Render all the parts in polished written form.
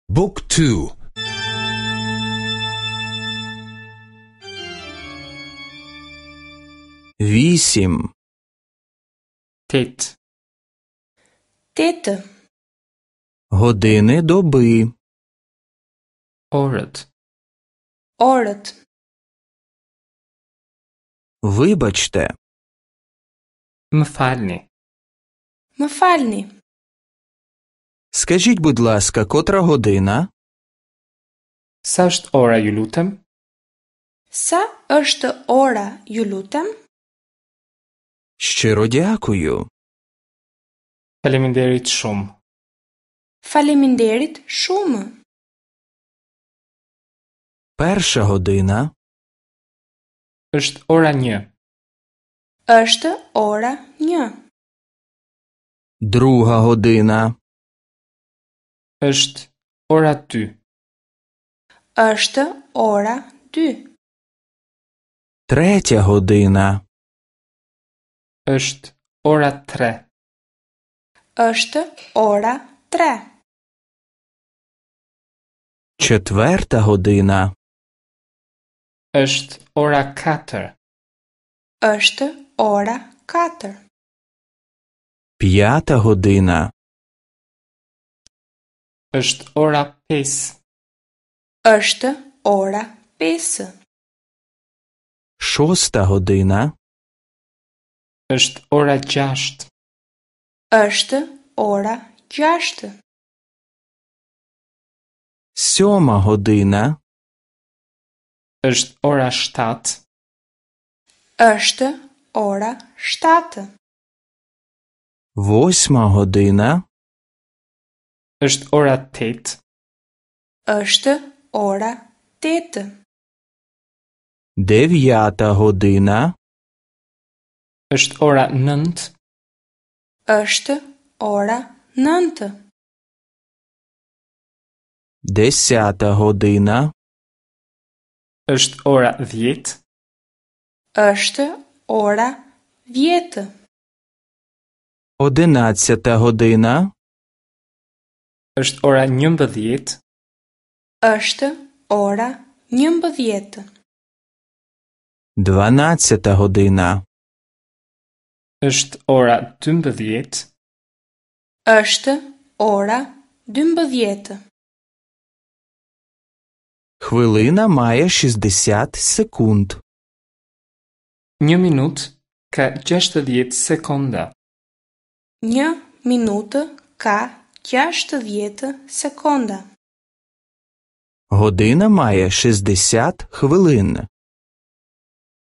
Book 2. Вісім. Тет. Тета. Години доби. Året. Året. Вибачте. Më falni. Më falni. Скажіть, будь ласка, котра година? Sa është ora, ju lutem? Sa është ora, ju lutem? Щиро дякую. Faleminderit shumë. Faleminderit shumë. Перша година. Është ora 1. Është ora 1. Друга година. Është ora 2. Është ora 2. Третя година. Është ora 3. Është ora 3. Четверта година. Është ora 4. Është ora 4. П'ята година. Është ora 5. Është ora 5. Шоста година. Është ora 6. Është ora 6. Сьома година. Është ora 7. Është ora 7. Восьма година. Është ora 8. Është ora 8. Дев'ята година. Është ora 9. Është ora 9. Десята година. Është ora 10. Është ora 10. Одинадцята година. Është ora 11. Është ora 11. Дванадцята година. Është ora 12. Është ora 12. Хвилина має 60 секунд. 1 minutë ka 60 sekonda. 1 minutë ka 60 sekonda. Година має 60 хвилин.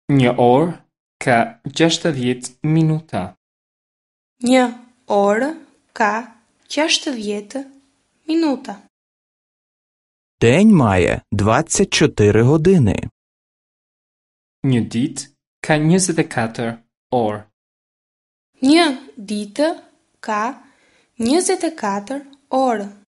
1 orë ka 60 minuta. 1 orë ka 60 minuta. День має 24 години. 1 ditë ka 24 orë. 1 ditë ka 24 orë.